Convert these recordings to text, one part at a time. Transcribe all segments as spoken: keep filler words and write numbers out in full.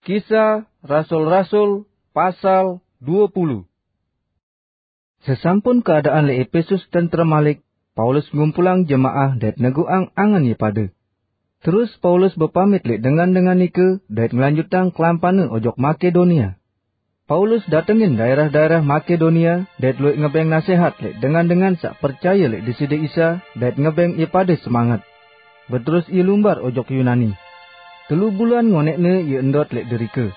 Kisah Rasul-Rasul, pasal dua puluh. Sesampun keadaan leq Epesus tentrem malik, Paulus ngumpulang jemaah dait neguqang angen ie pade. Terus Paulus bepamit leq dengan-dengan nike dait ngelanjutang kelampanne ojok Makedonia. Paulus datengin daerah-daerah Makedonia dait lueq ngebeng nasehat leq dengan-dengan saq percaye leq Deside Isa dait ngebeng ie pade semanget. Beterus ie lumbar ojok Yunani. Telu bulan ngoneqne ie ndot leq derike.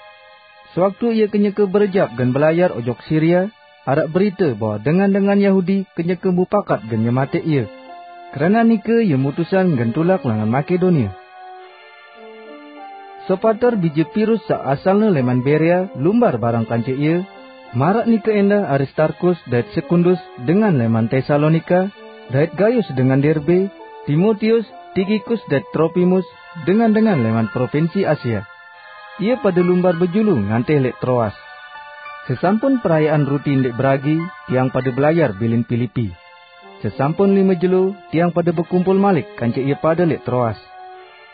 Sewaktu ie kenyeke berejap gen belayar ojok Siria, araq berite bahwe dengan-dengan Yahudi kenyeke mupakat gen nyemateq ie. Keranaq nike ie mutusang gen tulak langan Makedonia. Sopater bije Pirus saq asalne leman Berea lumbar bareng kance ie, maraq nike endah Aristarkus dait Sekundus dengan leman Tesalonika, dait Gayus dengan Derbe, Timotius, Tikikus dait Tropimus dengan-dengan leman propinsi Asia. Ie pade lumbar bejulu ngantih leq Troas. Sesampun perayaan ruti ndeq beragi, tiang pade belayar bilin Pilipi. Sesampun lime jelo, tiang pade bekumpul malik kance ie pade leq Troas.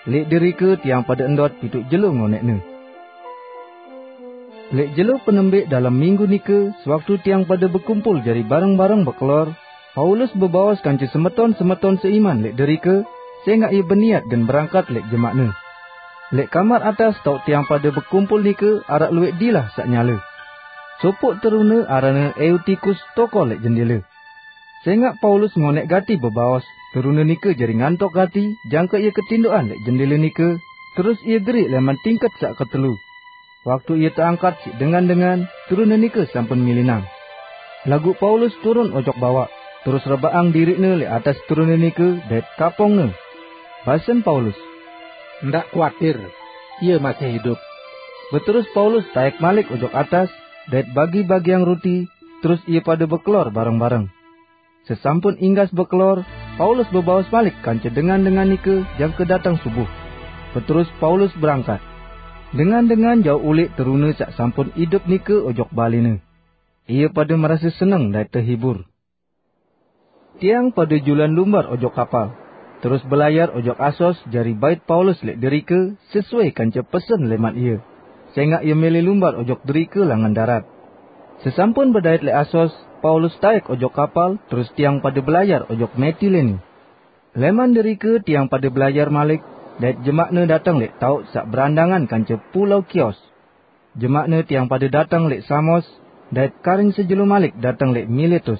Leq derike tiang pade ndot pituq jelo ngoneqne. Leq jelo penembeq dalem minggu nike, sewaktu tiang pade bekumpul jari bareng-bareng bekelor, Paulus bebaos kance semeton-semeton seiman leq derike, sengaq ie beniat gen berangkat leq jemaqne. Leq kamar atas taoq tiang pade bekumpul nike araq lueq dilah saq nyale. Sopoq terune aranne Eutikus tokol leq jendele. Sengaq Paulus ngoneq gati bebaos, terune nike jari ngantok gati jangke ie ketindoqan leq jendele nike, terus ie geriq leman tingket saq ketelu. Waktu ie teangkat siq dengan-dengan, terune nike sampun milinang. Laguq Paulus turun ojok bawaq, terus rebaqang diriqne leq atas terune nike dait kapongne. Basen Paulus, "Ndaq kuatir, ie masih idup." Beterus Paulus taek malik ojok atas, dait bagi-bagiang ruti, terus ie pade bekelor bareng-bareng. Sesampun inggas bekelor, Paulus bebaos malik kance dengan-dengan nike jangke dateng subuh. Beterus Paulus berangkat. Dengan-dengan jauq uleq terune saq sampun idup nike ojok balene. Ie pade merase seneng dait tehibur. Tiang pade julan lumbar ojok kapal, terus belayar ojok Asos jari bait Paulus leq derike sesuai kance pesen leman ie, sengaq ie mele lumbar ojok derike langan darat. Sesampun bedait leq Asos, Paulus taek ojok kapal, terus tiang pade belayar ojok Metilene. Leman derike tiang pade belayar malik, dait jemaqne dateng leq taoq saq berandangan kance pulao Kios. Jemaqne tiang pade dateng leq Samos, dait karing sejelo malik dateng leq Miletus.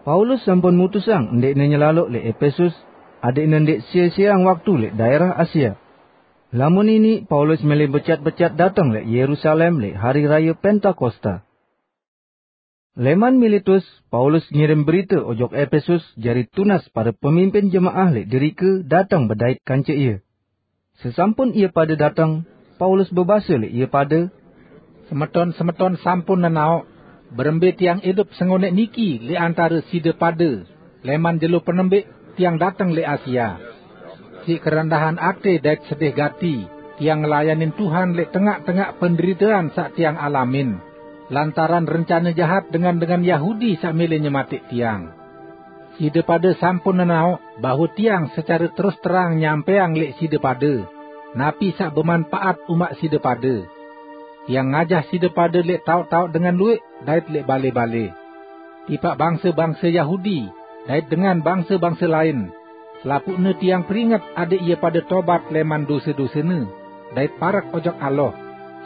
Paulus sampun mutusang ndeqne nyelaloq leq Epesus, adeqne ndeq sie-sieang waktu leq daerah Asia. Lamun iniq Paulus mele becat-becat dateng leq Yerusalem leq hari raye Pentakosta. Leman Miletus, Paulus ngirim berite ojok Epesus jari tunas pare pemimpin jemaah leq derike dateng bedait kance ie. Sesampun ie pade dateng, Paulus bebase leq ie pade, "Semeton-semeton sampun nenaoq berembe tiang idup sengoneq niki leq antare side pade, leman jelo penembeq tiang dateng leq Asia. Siq kerendahan ate dait sedih gati, tiang ngelayanin Tuhan leq tengaq-tengaq penderitean saq tiang alamin, lantaran rencane jahat dengan-dengan Yahudi saq mele nyemateq tiang. Side pade sampun nenaoq bahwe tiang secare terus terang nyampeang leq side pade napi saq bemanpaat umaq side pade. Tiang ngajah side pade leq taoq-taoq dengan lueq dait leq bale-bale, tipaq bangse-bangse Yahudi dait dengan bangse-bangse lain. Selapuqne tiang peringet adeq ie pade tobat leman dose-dosene dait parek ojok Allah,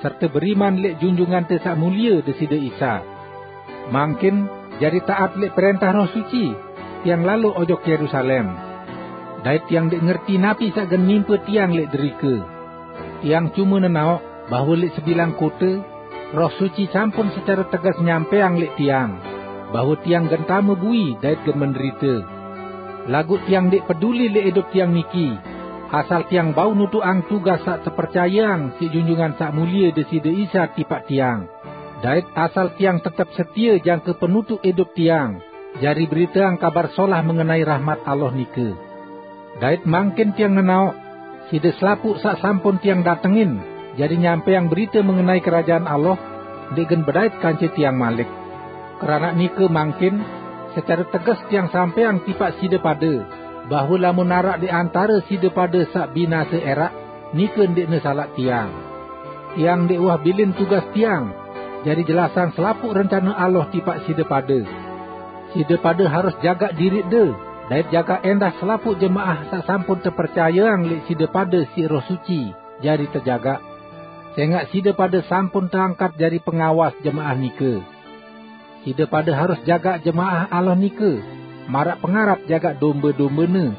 serte beriman leq Junjungante Saq Mulie Deside Isa. Mangkin jari taat leq prentah Roh Suci, tiang lalo ojok Yerusalem. Dait tiang ndeq ngerti napi saq gen nimpe tiang leq derike. Tiang cume nenaoq bahwe leq sebilang kote, Roh Suci sampun secare teges nyampeang leq tiang, bahwe tiang gen tame bui dait gen menderite. Laguq tiang ndeq peduli leq idup tiang niki, asal tiang bau nutuqang tugas saq tepercayeang siq Junjungan Saq Mulie Deside Isa tipaq tiang, dait asal tiang tetep setie jangke penutuq idup tiang, jari beriteang Kabar Solah mengenai rahmat Allah nike. Dait mangkin tiang nenaoq, side selapuq saq sampun tiang datengin jari nyampeang berite mengenai Kerajaan Allah, ndeq gen bedait kance tiang malik. Keranaq nike mangkin, secare teges tiang sampeang tipaq side pade, bahwe lamun araq leq antare side pade saq binase eraq, nike ndeqne salaq tiang. tiang ndek uah bilin tugas tiang, jari jelasang selapuq rencana Allah tipaq side pade. Side pade harus jagaq diriqde, dait jagaq endah selapuq jemaah saq sampun tepercayeang leq side pade siq Roh Suci jari tejagaq, sengaq side pade sampun teangkat jari pengawas jemaah nike. Side pade harus jagaq jemaah Allah nike, maraq pengarap jagaq dombe-dombene.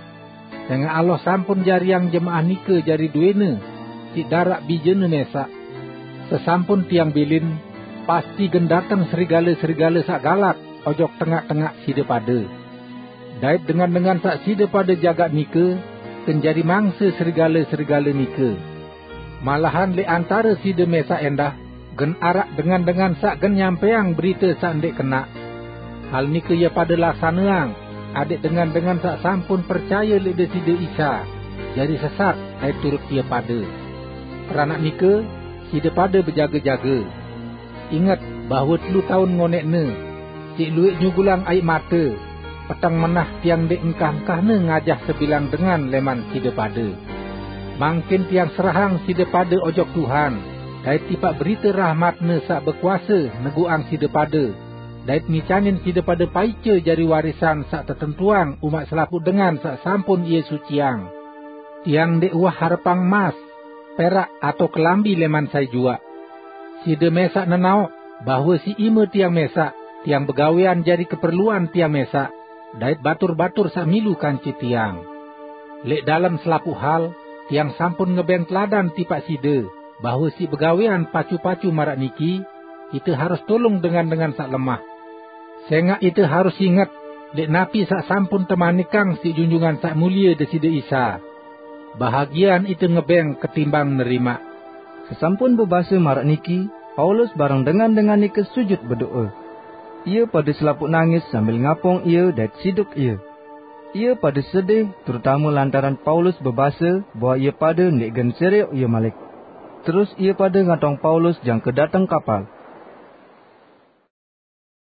Sengaq Allah sampun jariang jemaah nike jari duene siq daraq Bijene mesaq. Sesampun tiang bilin, pasti gen dateng serigale-serigale saq galak ojok tengaq-tengaq side pade. Dait dengan-dengan saq side pade jagaq nike gen jari mangse serigale-serigale nike. Malahan leq antare side mesaq endah gen araq dengan-dengan saq gen nyampeang berite saq ndeq kenaq. Hal nike ie pade laksaneang, adẽq dengan-dengan saq sampun percaye leq Deside Isa jari sesat dait turut ie pade. Keranaq nike, side pade bejage-jage. Inget bahwe telu taun ngoneqne, siq lueq nyugulang aiq mate, peteng menah tiang ndeq engkah-engkahne ngajah sebilang dengan leman side pade. Mangkin tiang serahang side pade ojok Tuhan, dait tipaq berite rahmat-Ne saq bekuase neguqang side pade, dait ngicanin side pade paice jari warisan saq tetentuang umaq selapuq dengan saq sampun Ie suciang. Tiang ndeq uah harepang emas, perak atao kelambi leman sai juaq. Side mesaq nenaoq bahwe siq ime tiang mesaq, tiang begawean jari keperluan tiang mesaq, dait batur-batur saq milu kance tiang. Leq dalem selapuq hal, tiang sampun ngebeng teladan tipaq side, bahwe siq begawean pacu-pacu maraq niki, ite harus tulung dengan-dengan saq lemah. Sengaq ite harus inget leq napi saq sampun temanikang siq Junjungan Saq Mulie Deside Isa. Bahagian ite ngebeng ketimbang nerimaq. Sesampun bebase maraq niki, Paulus bareng dengan-dengan nike sujut bedo'e. Ie pade selapuq nangis sambil ngapung ie dait siduk ie. Ie pade sedih, terutame lantaran Paulus bebase bahwe ie pade ndeq gen serioq ie malik. Terus ie pade ngatong Paulus jangke dateng kapal.